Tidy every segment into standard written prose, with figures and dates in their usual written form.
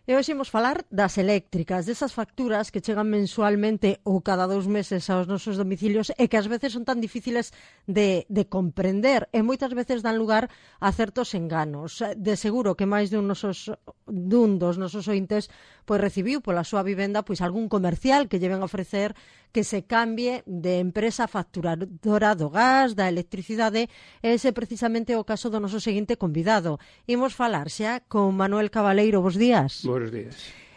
E hoxe imos falar das eléctricas, desas facturas que chegan mensualmente ou cada 2 meses aos nosos domicilios e que ás veces son tan difíciles de comprender e moitas veces dan lugar a certos enganos. De seguro que máis dun dos nosos ointes pois recibiu pola súa vivenda pois algún comercial que lle ven a ofrecer que se cambie de empresa facturadora do gas, da electricidade, e ese precisamente o caso do noso seguinte convidado. Imos falar xa con Manuel Cabaleiro. Bos días. Buenos días.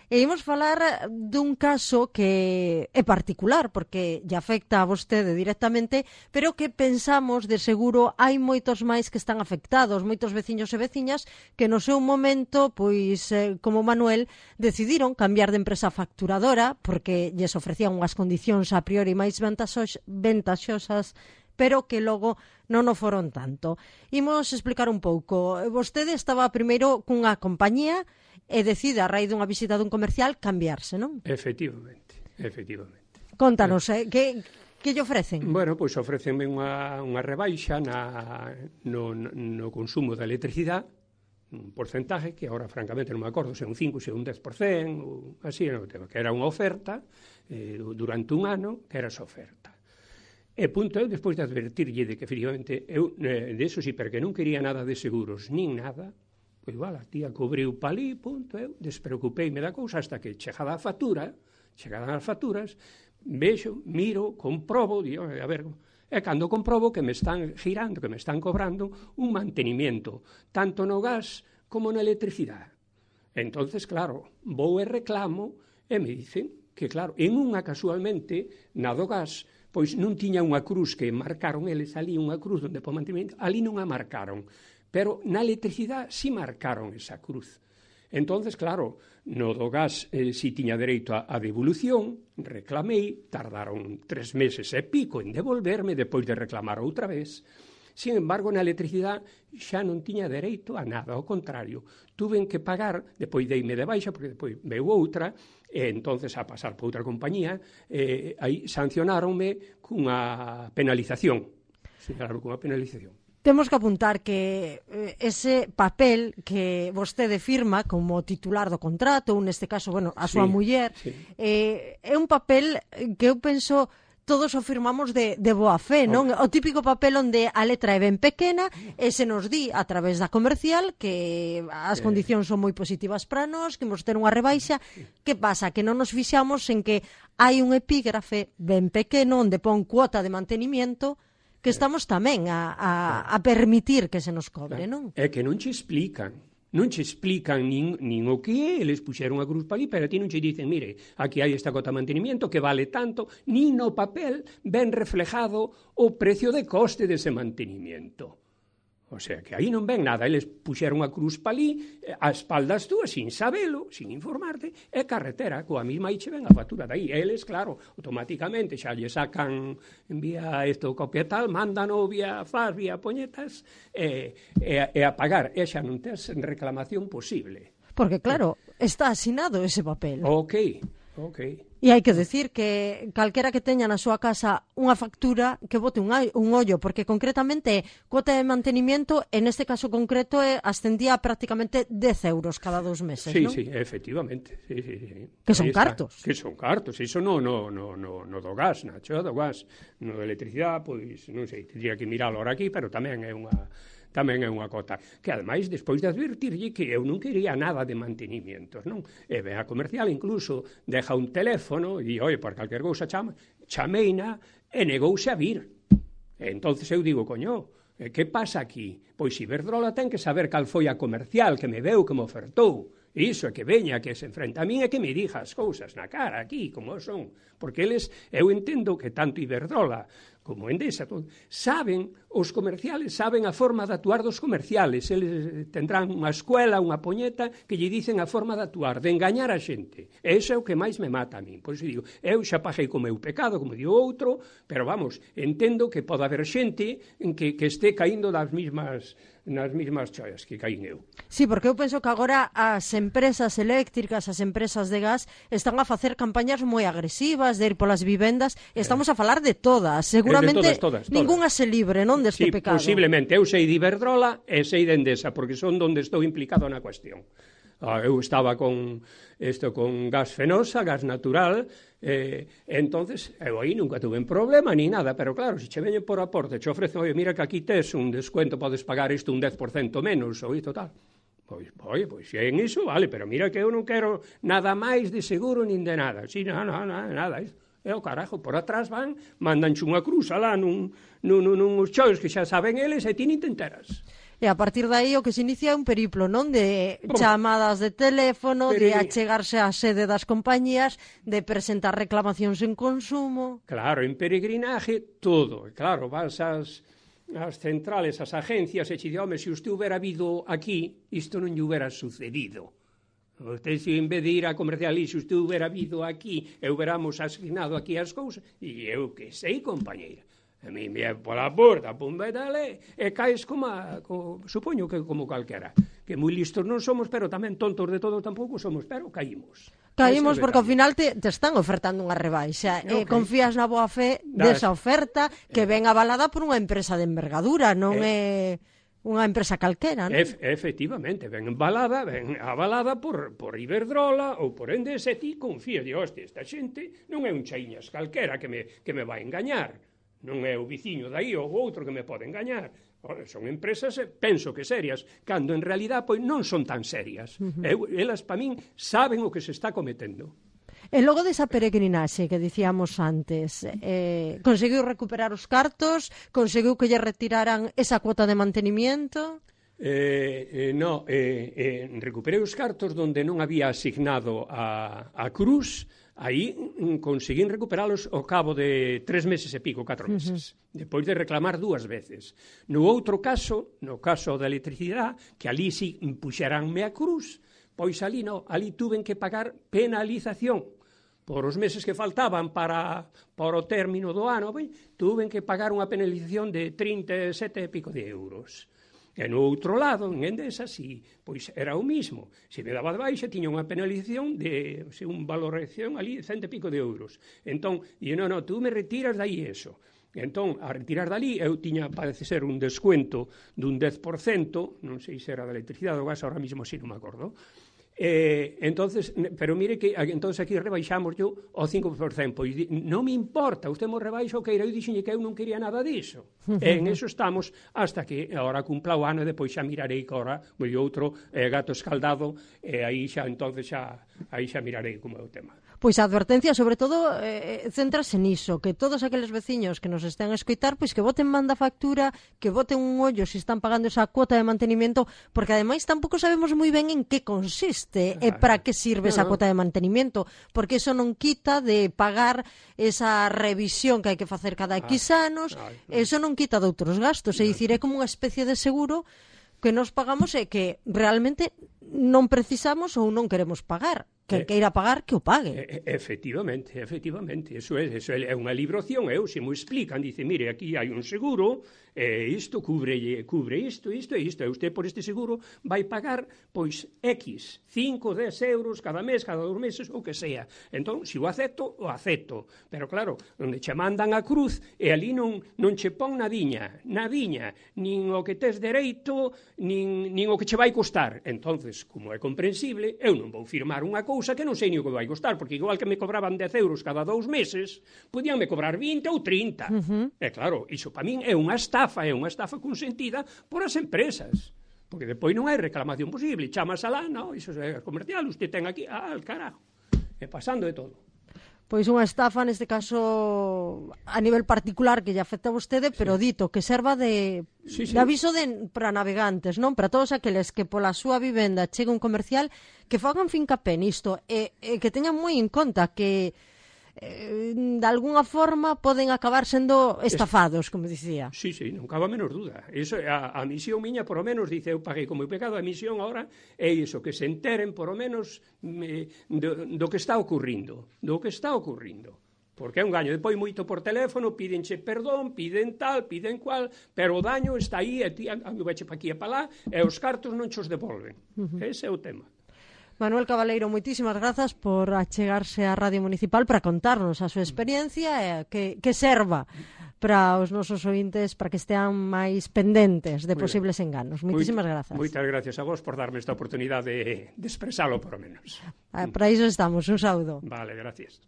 E imos falar dun caso que é particular, porque lle afecta a vostede directamente, pero que pensamos, de seguro, hai moitos máis que están afectados, moitos veciños e veciñas que no seu momento, pois, como Manuel, decidiron cambiar de empresa facturadora, porque lles ofrecían unhas condicións a priori máis ventaxosas, pero que logo non o foron tanto. Imos explicar un pouco. Vostede estaba primeiro cunha compañía e decide, a raíz dunha visita dun comercial, cambiarse, non? Efectivamente. Contanos, que lle ofrecen? Bueno, pois ofrecenme unha rebaixa no consumo da electricidade, un porcentaje que agora francamente non me acordo se é un 5, se é un 10%, ou así, que era unha oferta durante un ano, que era esa oferta. E punto eu, despois de advertirlle de que efectivamente eu, de eso sí, porque non quería nada de seguros, nin nada, pois, a tía cobriu palí, punto, eu despreocupeime da cousa hasta que chegadas as facturas, vexo, miro, comprobo, digo, a ver, e cando comprobo que me están girando, que me están cobrando un mantenimiento, tanto no gas como na electricidade. Entonces, claro, vou e reclamo, e me dicen que, claro, en unha casualmente, na do gas, pois non tiña unha cruz que marcaron eles ali, unha cruz onde po mantenimento, ali non a marcaron, pero na electricidade si marcaron esa cruz. Entonces, claro, no do gas si tiña dereito a devolución, reclamei, tardaron 3 meses e pico en devolverme depois de reclamar outra vez. Sin embargo, na electricidade xa non tiña dereito a nada, ao contrario. Tuven que pagar, depois deime de baixa, porque depois veu outra, e entonces a pasar por outra compañía, aí sancionáronme cunha penalización. Temos que apuntar que ese papel que vostede firma como titular do contrato, ou neste caso, bueno, a súa muller, é un papel que eu penso todos o firmamos de boa fe, non? O típico papel onde a letra é ben pequena e se nos di a través da comercial que as condicións son moi positivas para nós, que imos ter unha rebaixa. Que pasa? Que non nos fixamos en que hai un epígrafe ben pequeno onde pon cuota de mantenimiento que estamos tamén a permitir que se nos cobre, non? É que non che explican nin o que é, eles puxeron a cruz para ali, pero a ti non che dicen, mire, aquí hai esta cota de mantenimiento que vale tanto, nin no papel ben reflejado o precio de coste dese mantenimiento. O sea, que aí non ven nada, eles puxeron a cruz pa ali, a espaldas túas, sin sabelo, sin informarte, e carretera, coa mesma aí che ven a factura dai. Eles, claro, automáticamente xa lle sacan, envía isto copia tal, mándano vía FAS, vía poñetas, e a pagar, e xa non tes reclamación posible. Porque, claro, está asinado ese papel. Ok. E hai que decir que calquera que teña na súa casa unha factura que bote un ollo, porque concretamente cuota de mantenimiento, en este caso concreto, ascendía a prácticamente 10 euros cada 2 meses, non? Sí, efectivamente. Sí. Que son cartos. Que son cartos, iso no do gas, Nacho, do gas. No da electricidade, pois, non sei, tendría que miralo ahora aquí, pero tamén é unha cota, que ademais, despois de advertirlle que eu non quería nada de mantenimientos, non? E ben a comercial incluso deja un teléfono e, oi, por calquer cousa chameina e negouse a vir. E entonces eu digo, coño, que pasa aquí? Pois Iberdrola ten que saber cal foi a comercial que me veu, que me ofertou. Iso é que veña, que se enfrenta a min e que me diga as cousas na cara aquí, como son. Porque eles, eu entendo que tanto Iberdrola como Endesa, saben, os comerciales saben a forma de actuar dos comerciales. Eles tendrán unha escuela, unha poñeta, que lle dicen a forma de actuar, de engañar a xente. E iso é o que máis me mata a min. Por iso digo, eu xa paguei co meu pecado, como digo outro, pero vamos, entendo que pode haber xente en que este caíndo nas mesmas choias que caín eu. Sí, porque eu penso que agora as empresas eléctricas, as empresas de gas, están a facer campañas moi agresivas de ir polas vivendas, e estamos a falar de todas, seguramente todas. Ningunha se libre, non, deste pecado. Posiblemente, eu sei de Iberdrola e sei de Endesa, porque son donde estou implicado na cuestión. Eu estaba con gas fenosa, gas natural, entonces eu aí nunca tuve problema ni nada, pero claro, se che veñen por aporte, che ofrecen, oye, mira que aquí tes un descuento, podes pagar isto un 10% menos, ou isto tal. Pois, se en iso, vale, pero mira que eu non quero nada máis de seguro nin de nada. Si, nada, isto. E o carajo, por atrás van, mandanche unha cruz alá nuns choios que xa saben eles e ti nin te enteras. E a partir de aí o que se inicia é un periplo, non? De chamadas de teléfono, de achegarse á sede das compañías, de presentar reclamacións en consumo. Claro, en peregrinaje, todo. Claro, vas ás centrales, ás agencias, e che di, home, se usted hubiera habido aquí, isto non lle hubiera sucedido. Usted, se en vez de ir a comercial, se usted hubiera habido aquí, e hubiéramos asignado aquí as cousas, e eu que sei, compañeira. A mí me pola porta, pumba e dale, e caes supoño que como calquera. Que moi listos non somos, pero tamén tontos de todo tampouco somos, pero caímos. Caímos porque ao final te están ofertando unha rebaixa. Okay. Confías na boa fe desa oferta que ven avalada por unha empresa de envergadura, non é unha empresa calquera, non? Efectivamente, ven avalada por Iberdrola ou por Endesa, e ti confías, di, hostia, esta xente non é un chaiñas calquera que me vai engañar. Non é o viciño dai ou outro que me pode engañar. Son empresas, penso que serias, cando en realidad pois non son tan serias. Elas, para min, saben o que se está cometendo. E logo desa peregrinaxe que dicíamos antes, conseguiu recuperar os cartos? Conseguiu que lle retiraran esa cuota de mantenimiento? Recuperei os cartos donde non había asignado a cruz. Aí conseguín recuperalos ao cabo de 3 meses e pico, 4 meses, depois de reclamar 2 veces. No outro caso, no caso da electricidade, que ali si puxeranme a cruz, pois ali tuven que pagar penalización. Por os meses que faltaban para o término do ano, tuven que pagar unha penalización de 37 e pico de euros. E no outro lado, en Endesa, pois era o mismo. Se me daba de baixa, tiña unha penalización de unha valoración ali de 100 e pico de euros. Entón, tú me retiras dai eso. Entón, a retirar dali, eu tiña, parece ser, un descuento dun 10%, non sei se era da electricidade ou gas, ahora mismo si non me acordo. Entonces, pero mire que entonces aquí rebaixamos yo ao 5%, pois non me importa, usted mo rebaixa o que eu dixenlle que eu non quería nada diso. En eso estamos hasta que agora cumpla o ano e depois xa mirarei que agora o outro gato escaldado, e aí xa mirarei como é o tema. Pois a advertencia, sobre todo, céntrase niso, que todos aqueles veciños que nos estén a escoitar, pois que boten manda factura, que boten un ollo se están pagando esa cuota de mantenimiento, porque ademais tampouco sabemos moi ben en que consiste e para que sirve esa cuota de mantenimiento, porque eso non quita de pagar esa revisión que hai que facer cada X anos, eso non quita de outros gastos, é dicir, é como unha especie de seguro que nos pagamos e que realmente non precisamos ou non queremos pagar. Que queira pagar, que o pague. Efectivamente. Eso é unha libración. Se mo explican, dice, mire, aquí hai un seguro, isto cubre isto e isto. E usted por este seguro vai pagar, pois, X, 5, 10 euros cada mes, cada 2 meses, o que sea. Entón, se o acepto. Pero claro, onde che mandan a cruz, e ali non che pon nadiña, nin o que tes dereito, nin o que che vai costar. Entonces, como é comprensible, eu non vou firmar unha cousa que non sei ni o que vai costar, porque igual que me cobraban 10 euros cada 2 meses, podíanme cobrar 20 ou 30. E claro, iso para min é unha estafa consentida por as empresas, porque depois non hai reclamación posible, chamas alá, iso é comercial, usted ten aquí, al carajo, e pasando de todo. Pois unha estafa, neste caso, a nivel particular que lle afecta a vostede, pero dito, que serva de aviso para navegantes, non? Para todos aqueles que pola súa vivenda chega un comercial, que fagan fincapé nisto, e que teñan moi en conta que de alguna forma poden acabar sendo estafados, como dicía. Sí, non cabe a menor duda. Eso, a misión miña, por lo menos, dice, eu paguei como pecado, a misión ahora é iso, que se enteren, por lo menos, do que está ocurrindo. Porque é un gaño. Depois, moito por teléfono, pídenche perdón, piden tal, piden cual, pero o daño está aí, e ti anduveche pa aquí e pa lá, e os cartos non chos devolven. Ese é o tema. Manuel Cabaleiro, moitísimas grazas por achegarse á Radio Municipal para contarnos a súa experiencia e que serva para os nosos ointes para que estean máis pendentes de posibles enganos. Moitísimas grazas. Moitas gracias a vos por darme esta oportunidade de expresalo, por lo menos. Para iso estamos. Un saúdo. Vale, gracias.